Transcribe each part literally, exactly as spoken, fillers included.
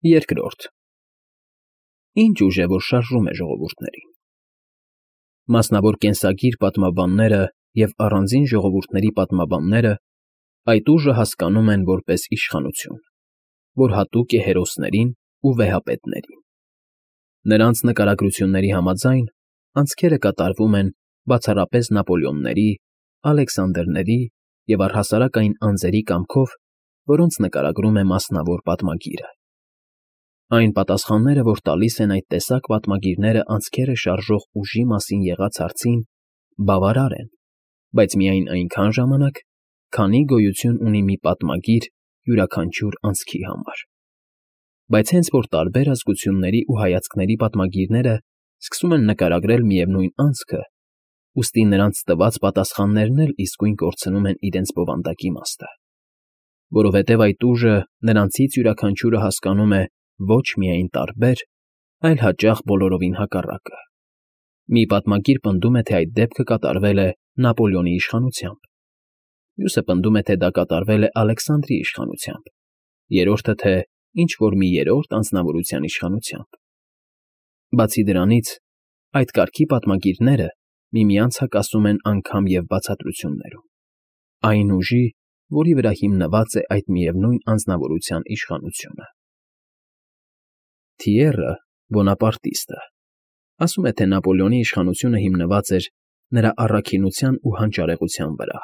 Երկրորդ Ինչ ուժ է, որ շարժում է ժողովուրդներին։ Մասնավոր կենսագիր պատմաբանները և առանձին ժողովուրդների պատմաբանները այդ ուժը հասկանում են որպես իշխանություն, որ հատուկ է հերոսներին ու վեհապետներին։ Նրանց նկարագրությունների համաձայն անցքերը կատարվում են բացառապես Նապոլեոնների, Ալեքսանդրների և առհասարակ այն անձերի կամքով, որոնց նկարագրում է մասնավոր պատմագիրը։ Այն պատասխանները, որ տալիս են այդ տեսակ պատմագիրները անցքերը շարժող ուժի մասին եղած հարցին, բավարար են, բայց միայն այնքան ժամանակ, քանի գոյություն ունի մի պատմագիր յուրաքանչյուր անցքի համար։ Բայց հենց որ տարբեր ազգությունների ու հայացքների պատմագիրները սկսում են նկարագրել միևնույն անցքը, ուստի նրանց տված պատասխաններն էլ իսկույն կորցնում են իրենց բովանդակ իմաստը, որովհետև այդ ուժը նրանցից յուրաքանչյուրը հասկանում է ոչ միայն տարբեր, այլ հաճախ բոլորովին հակառակը։ Մի պատմագիր պնդում է, թե այդ դեպքը կատարվել է Նապոլեոնի իշխանությամբ, մյուսը պնդում է, թե դա կատարվել է Ալեքսանդրի իշխանությամբ, երրորդը, թե ինչ-որ մի երրորդ անձնավորության իշխանությամբ։ Բացի դրանից, այդ կարգի պատմագիրները միմյանց հակասում են անգամ և բացատրություններում, այն ուժի, որի վրա հիմնված է այդ միևնույն անձնավորության իշխանությունը։ Թիեռը, բոնապարտիստը, ասում է, թե Նապոլեոնի իշխանությունը հիմնված էր նրա առաքինության ու հանճարեղության վրա։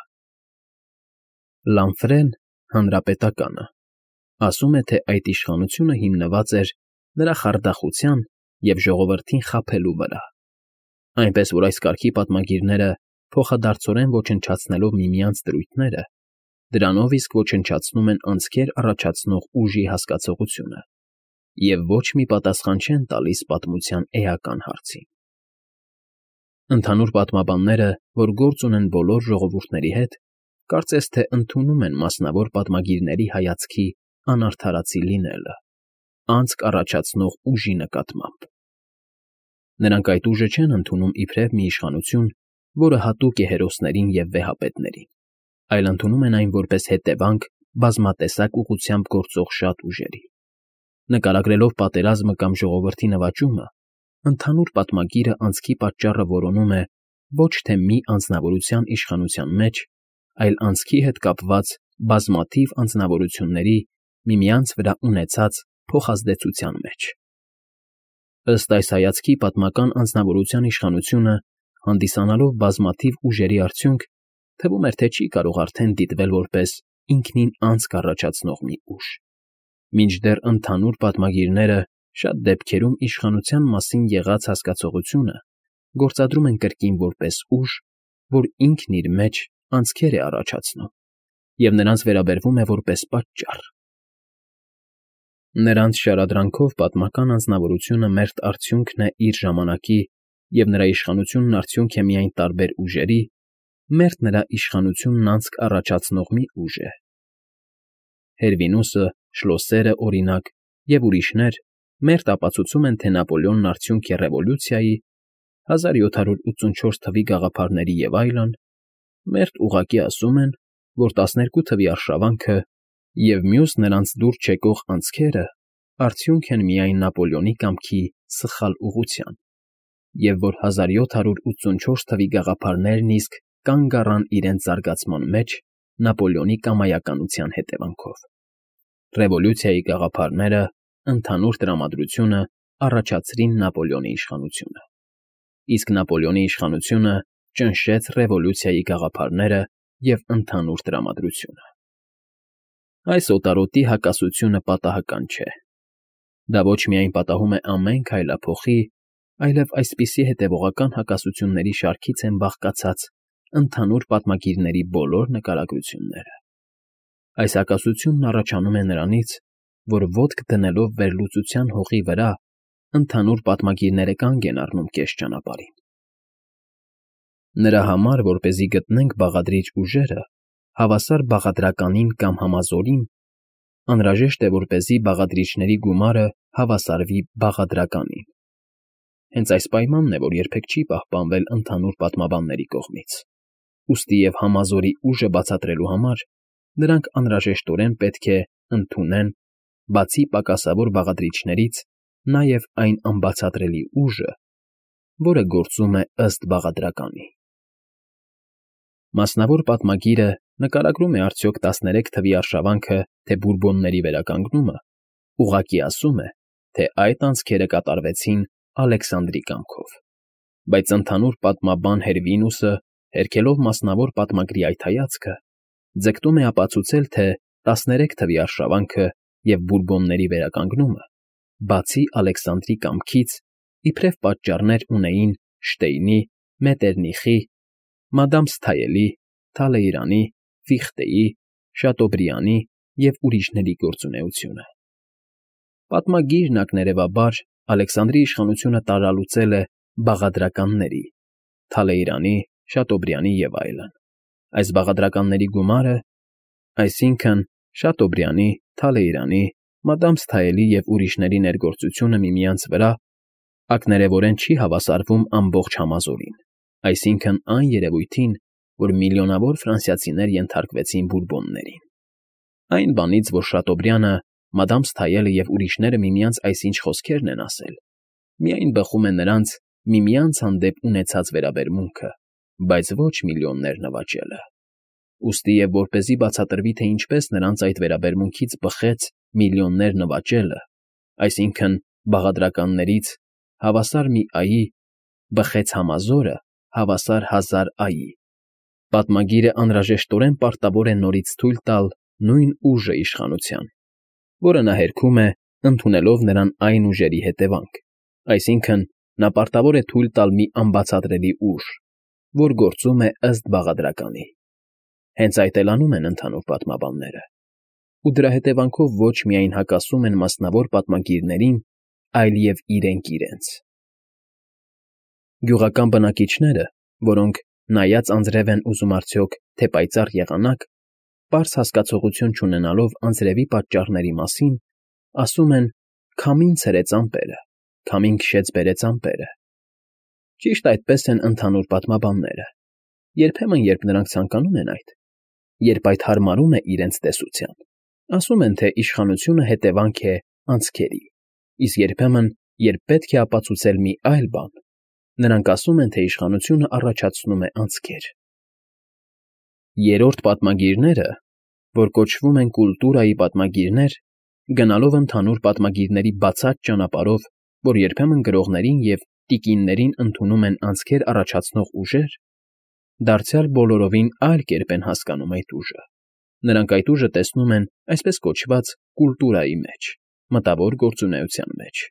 Լանֆրեն, հանրապետականը, ասում է, թե այդ իշխանությունը հիմնված էր նրա խարդախության և ժողովրդին խաբելու վրա, այնպես որ այս կարգի պատմագիրները փոխադարձորեն ոչնչացնելով միմյանց դրույթները, դրանով իսկ ոչնչացնում են անցքեր առաջացնող ուժի հասկացողությունը և ոչ մի պատասխան չեն տալիս պատմության էական հարցին։ Ընդհանուր պատմաբանները, որ գործ ունեն բոլոր ժողովուրդների հետ, կարծես թե ընդունում են մասնավոր պատմագիրների հայացքի անարդարացի լինելը, անցք առաջացնող ուժի նկատմամբ։ Նրանք այդ ուժը չեն ընդունում իբրև մի իշխանություն, որը հատուկ է հերոսներին և վեհապետներին, այլ ընդունում են այն որպես հետևանք բազմատեսակ ուղղությամբ գործող շատ ուժերի։ Նկարագրելով պատերազմը կամ ժողովրդի նվաճումը, ընդհանուր պատմագիրը անցքի պատճառը որոնում է ոչ թե մի անձնավորության իշխանության մեջ, այլ անցքի հետ կապված բազմաթիվ անձնավորությունների միմյանց վրա ունեցած փոխազդեցության մեջ։ Ըստ այս հայացքի պատմական անձնավորության իշխանությունը, հանդիսանալով բազմաթիվ ուժերի արդյունք, թվում էր, թե չի կարող արդեն դիտվել որպես ինքնին անցք առաջացնող մի ուժ, մինչդեռ ընդհանուր պատմագիրները շատ դեպքերում իշխանության մասին եղած հասկացողությունը գործադրում են կրկին որպես ուժ, որ ինքն իր մեջ անցքեր է առաջացնում և նրանց վերաբերվում է որպես պատճառ։ Նրանց շարադրանքով պատմական անձնավորությունը մերթ արդյունքն է իր ժամանակի և նրա իշխանությունն արդյունք է միայն տարբեր ուժերի, մերթ նրա իշխանությունն անցք առաջացնող մի ուժ է։ Հերվինուսը, Շլոսերը, օրինակ, և ուրիշներ մերթ ապացուցում են, թե Նապոլեոնն արդյունք է ռևոլյուցիայի, հազար յոթ հարյուր ութսունչորս թվականի գաղափարների և այլն, մերթ ուղղակի ասում են, որ տասներկու թվականի արշավանքը և մյուս նրանց դուր չեկող անցքերը արդյունք են միայն Նապոլեոնի կամքի սխալ ուղղության, և որ հազար յոթ հարյուր ութսունչորս թվականի գաղափարներն իսկ կանգ առան իրենց զարգացման մեջ Նապոլեոնի կամայականության հետևանքով։ Ռևոլյուցիայի գաղափարները, ընդհանուր տրամադրությունը առաջացրին Նապոլեոնի իշխանությունը, իսկ Նապոլեոնի իշխանությունը ճնշեց ռևոլյուցիայի գաղափարները և ընդհանուր տրամադրությունը։ Այս օտարոտի հակասությունը պատահական չէ։ Դա ոչ միայն պատահում է ամեն քայլափոխի, այլև այսպիսի հետևողական հակասությունների շարքից են բաղկացած ընդհանուր պատմագիրների բոլոր նկարագրությունները։ Այս հակասությունն առաջանում է նրանից, որ ոտք դնելով վերլուծության հողի վրա, ընդհանուր պատմագիրները կանգ են առնում կես ճանապարհին։ Նրա համար, որպեսզի գտնենք բաղադրիչ ուժերը, հավասար բաղադրականին կամ համազորին, անհրաժեշտ է, որպեսզի բաղադրիչների գումարը հավասարվի բաղադրականին։ Հենց այս պայմանն է, որ երբեք չի պահպանվել ընդհանուր պատմաբանների կողմից, ուստի և համազորի ուժը բացատրելու համար նրանք անհրաժեշտորեն պետք է ընդունեն բացի պակասավոր բաղադրիչներից, նաև այն անբացատրելի ուժը, որը գործում է ըստ բաղադրականի։ Մասնավոր պատմագիրը նկարագրում է արդյոք տասներեք թվի արշավանքը, թե բուրբոնների վերականգնումը, ուղղակի ասում է, թե այդ անցքերը կատարվեցին Ալեքսանդրի կամքով, բայց ընդհանուր պատմաբան Հերվինուսը, հերքելով մասնավոր պատմագրի այդ հայացքը, ձգտում է ապացուցել, թե տասներեք թվի արշավանքը և բուրբոնների վերականգնումը, բացի Ալեքսանդրի կամքից, իբրև պատճառներ ունեին Շտեյնի, Մետերնիխի, Մադամ Սթայելի, Թալեյրանի, Ֆիխտեի, Շատոբրիանի և ուրիշների գործունեությունը։ Պատմագիրն ակներևաբար Ալեքսանդրի իշխանությունը տարալուծել է բաղադրականների, Թալեյրանի, Շատոբրիանի և այլն։ Այս բաղադրականների գումարը, այսինքն Շատոբրիանի, Թալեյրանի, Մադամ Սթայելի և ուրիշների ներգործությունը միմյանց վրա, ակներևորեն չի հավասարվում ամբողջ համազորին, այսինքն այն երևույթին, որ միլիոնավոր ֆրանսիացիներ ենթարկվեցին բուրբոններին։ Այն բանից, որ Շատոբրիանը, Մադամ Սթայելը և ուրիշները միմյանց այսինչ խոսքերն են ասել, միայն բխում է նրանց միմյանց հանդեպ ունեցած վերաբերմունքը, բայց ոչ միլիոններ նվաճելը։ Ուստի և որպեսզի բացատրվի, թե ինչպես նրանց այդ վերաբերմունքից բխեց միլիոններ նվաճելը, այսինքն բաղադրականներից հավասար մի այի բխեց համազորը հավասար հազար այի, պատմագիրը անհրաժեշտորեն պարտավոր է նորից թույլ տալ նույն ուժը իշխանության, որը նա հերքում է, ընդունելով նրան այն ուժերի հետևանք, այսինքն նա պարտավոր է թույլ տալ մի անբացատրելի ուժ, որ գործում է ըստ բաղադրականի։ Հենց այդ էլ անում են ընդհանուր պատմաբանները, ու դրա հետևանքով ոչ միայն հակասում են մասնավոր պատմագիրներին, այլև իրենք իրենց։ Գյուղական բնակիչները, որոնք նայած անձրև են ուզում արդյոք, թե պայծառ եղանակ, պարզ հասկացողություն չունենալով անձրևի պատճառների մասին, ասում են. «Քամին ցրեց ամպերը, քամին քշեց բերեց ամպերը»։ Ճիշտ այդպես են ընդհանուր պատմաբանները, երբեմն, երբ նրանք ցանկանում են այդ, երբ այդ հարմարում է իրենց տեսության, ասում են, թե իշխանությունը հետևանք է անցքերի, իսկ երբեմն, երբ պետք է ապացուցել մի այլ բան, նրանք ասում են, թե իշխանությունը առաջացնում է անցքեր։ Երրորդ պատմագիրները, որ կոչվում են կուլտուրայի պատմագիրներ, գնալով ընդհանուր պատմագիրների բացած ճանապարհով, որ երբեմն գրողներին և տիկիններին ընդունում են անցքեր առաջացնող ուժեր, դարձյալ բոլորովին այլ կերպ են հասկանում այդ ուժը։ Նրանք այդ ուժը տեսնում են այսպես կոչված կուլտուրայի մեջ, մտավոր գործունեության մեջ։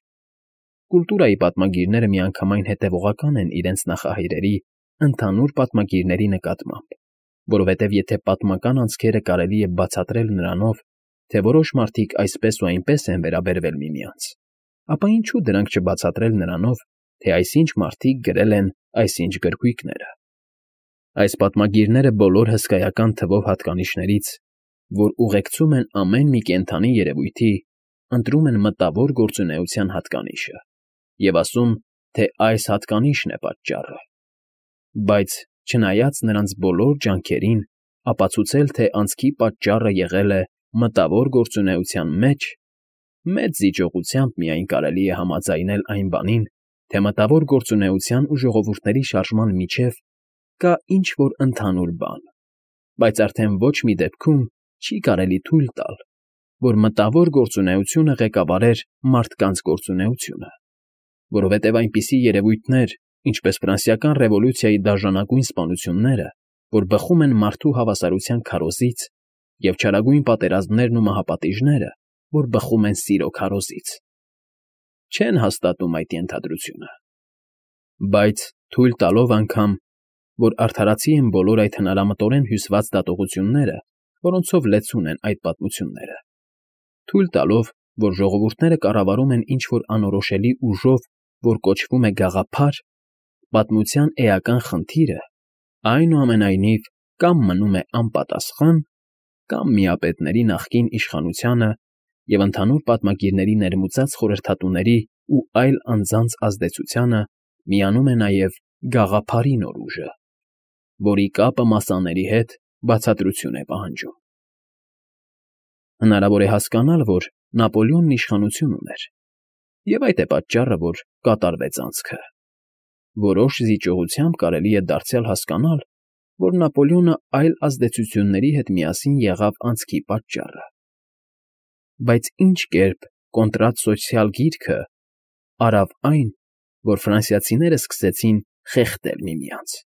Կուլտուրայի պատմագիրները միանգամայն հետևողական են իրենց նախահայրերի, ընդհանուր պատմագիրների նկատմամբ, որովհետև եթե պատմական անցքերը կարելի է բացատրել նրանով, թե որոշ մարդիկ այսպես ու այնպես են վերաբերվել միմյանց, ապա ինչու դրանք չբացատրել նրանով, թե այսինչ մարդիկ գրել են այսինչ գրքույկները։ Այս պատմագիրները բոլոր հսկայական թվով հատկանիշներից, որ ուղեկցում են ամեն մի կենդանի երևույթի, ընտրում են մտավոր գործունեության հատկանիշը և ասում, թե այս հատկանիշն է պատճառը։ Բայց, չնայած նրանց բոլոր ջանքերին ապացուցել, թե անցքի պատճառը եղել է մտավոր գործունեության մեջ, մեծ զիջողությամբ միայն կարելի է համաձայնել այն բանին, թե մտավոր գործունեության ու ժողովուրդների շարժման միջև կա ինչ-որ ընդհանուր բան, բայց արդեն ոչ մի դեպքում չի կարելի թույլ տալ, որ մտավոր գործունեությունը ղեկավարեր մարդկանց գործունեությունը, որովհետև այնպիսի երևույթներ, ինչպես ֆրանսիական ռևոլյուցիայի դաժանագույն սպանությունները, որ բխում են մարդու հավասարության քարոզից, և չարագույն պատերազմներն ու մահապատիժները, որ բխում են սիրո քարոզից, չեն հաստատում այդ ենթադրությունը։ Բայց թույլ տալով անգամ, որ արդարացի են բոլոր այդ հնարամտորեն հյուսված դատողությունները, որոնցով լեցուն են այդ պատմությունները, թույլ տալով, որ ժողովուրդները կառավարում են ինչ-որ անորոշելի ուժով, որ կոչվում է գաղափար, պատմության էական խնդիրը, այնուամենայնիվ, կամ մնում է անպատասխան, կամ միապետների նախկին իշխանությանը և ընդհանուր պատմագիրների ներմուծած խորհրդատուների ու այլ անձանց ազդեցությանը միանում է նաև գաղափարի նոր ուժը, որի կապը մասաների հետ բացատրություն է պահանջում։ Հնարավոր է հասկանալ, որ Նապոլեոնն իշխանություն ուներ, և այդ է պատճառը, որ կատարվեց անցքը։ Որոշ զիջողությամբ կարելի է դարձյալ հասկանալ, որ Նապոլեոնը այլ ազդեցությունների հետ միասին եղավ անցքի պատճառը։ Բայց ինչ կերպ կոնտրատ֊սոցիալ գիրքը արավ այն, որ ֆրանսիացիները սկսեցին խեղդել միմյանց,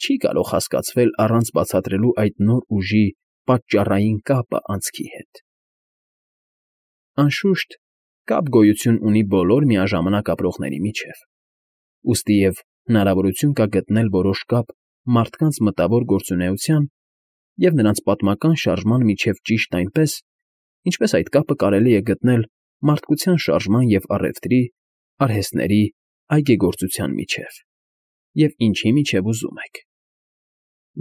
չի կարող հասկացվել առանց բացատրելու այդ նոր ուժի պատճառային կապը անցքի հետ։ Անշուշտ, կապ գոյություն ունի բոլոր միաժամանակ ապրողների միջև, ուստիև հնարավորություն կա գտնել որոշ կապ մարդկանց մտավոր գործունեության և նրանց պատմական շարժման միջև ճիշտ այնպես, ինչպես այդ կապը կարելի է գտնել մարդկության շարժման և առևտրի, արհեստների, այգեգործության միջև, և ինչի միջև ուզում եք։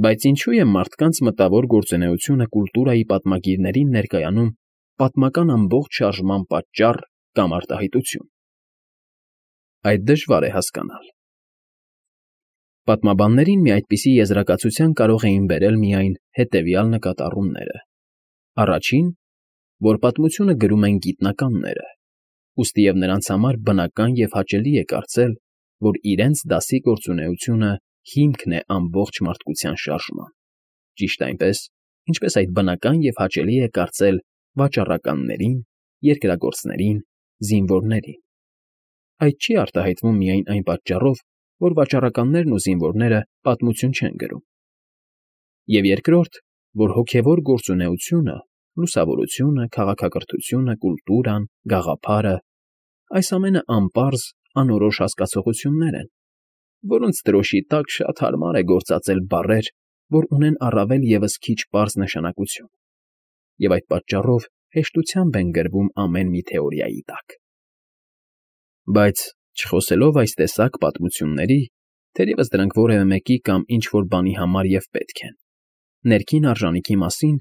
Բայց ինչո՞ւ է մարդկանց մտավոր գործունեությունը կուլտուրայի պատմագիրներին ներկայանում պատմական ամբողջ շարժման պատճառ կամ արտահայտություն։ Այդ դժվար է հասկանալ։ Պատմաբաններին մի այդպիսի եզրակացության կարող էին բերել միայն հետևյալ նկատառումները. Առաջին, որ պատմությունը գրում են գիտնականները, ուստիև նրանց համար բնական և հաճելի է կարծել, որ իրենց դասի գործունեությունը հիմքն է ամբողջ մարդկության շարժման, ճիշտ այնպես, ինչպես այդ բնական և հաճելի է կարծել վաճառականներին, երկրագործներին, զինվորներին։ Այդ չի արտահայտվում միայն այն պատճառով, որ վաճառականներն ու զինվորները պատմություն չեն գրում։ Եվ երկրորդ, որ հոգևոր գործունեությունը, լուսավորությունը, քաղաքակրթությունը, կուլտուրան, գաղափարը, այս ամենը անպարզ, անորոշ հասկացություններ են, որոնց դրոշի տակ շատ հարմար է գործածել բառեր, որ ունեն առավել ևս քիչ պարզ նշանակություն, և այդ պատճառով հեշտությամբ են գրվում ամեն մի թեորիայի տակ։ Բայց, չխոսելով այս տեսակ պատմությունների, թերևս դրանք որևէ մեկի կամ ինչ֊որ բանի համար և պետք են, ներքին արժանիքի մասին,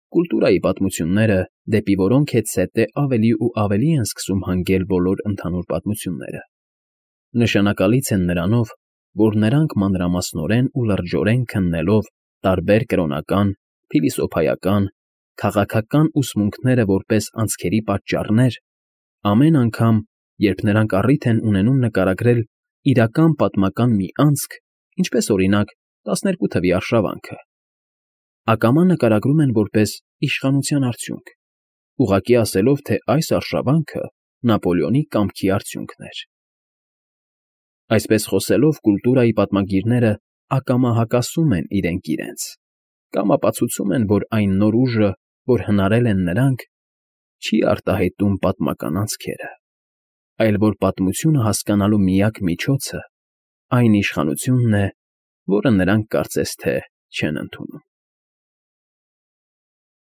կուլտուրայի պատմությունները, դեպի որոնք հետզհետե ավելի ու ավելի են սկսում հանգել բոլոր ընդհանուր պատմությունները, նշանակալից են նրանով, որ նրանք մանրամասնորեն ու լրջորեն քննելով տարբեր կրոնական, փիլիսոփայական, քաղաքական ուսմունքները որպես անցքերի պատճառներ, ամեն անգամ, երբ նրանք առիթ են ունենում նկարագրել իրական պատմական մի անցք, ինչպես, օրինակ, տասներկու թվի արշավանքը, ակամա նկարագրում են որպես իշխանության արդյունք, ուղղակի ասելով, թե այս արշավանքը Նապոլեոնի կամքի արդյունքն էր։ Այսպես խոսելով, կուլտուրայի պատմագիրները ակամա հակասում են իրենք իրենց, կամ ապացուցում են, որ այն նոր ուժը, որ հնարել են նրանք, չի արտահայտում պատմական անցքերը, այլ որ պատմությունը հասկանալու միակ միջոցը այն իշխանությունն է, որը նրանք կարծես թե չեն ընդունում։